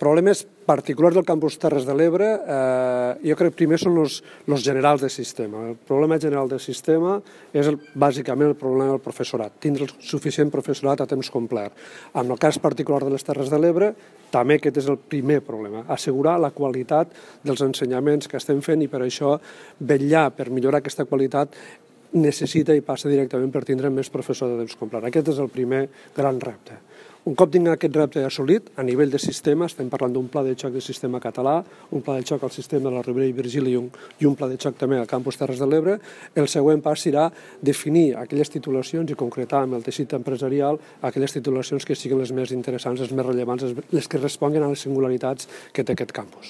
Problemes particulars del campus Terres de l'Ebre, jo crec que primer són els generals del sistema. El problema general del sistema és bàsicament el problema del professorat, tindre el suficient professorat a temps complet. En el cas particular de les Terres de l'Ebre, també aquest és el primer problema, assegurar la qualitat dels ensenyaments que estem fent i per això vetllar per millorar aquesta qualitat necessita i passa directament per tindre més professors de temps complet. Aquest és el primer gran repte. Un cop tinguem aquest repte assolit, a nivell de sistema, estem parlant d'un pla de xoc del sistema català, un pla de xoc al sistema de la Ribera i Virgili i un pla de xoc també al campus Terres de l'Ebre, el següent pas serà definir aquelles titulacions i concretar amb el teixit empresarial aquelles titulacions que siguin les més interessants, les més rellevants, les que responguin a les singularitats que té aquest campus.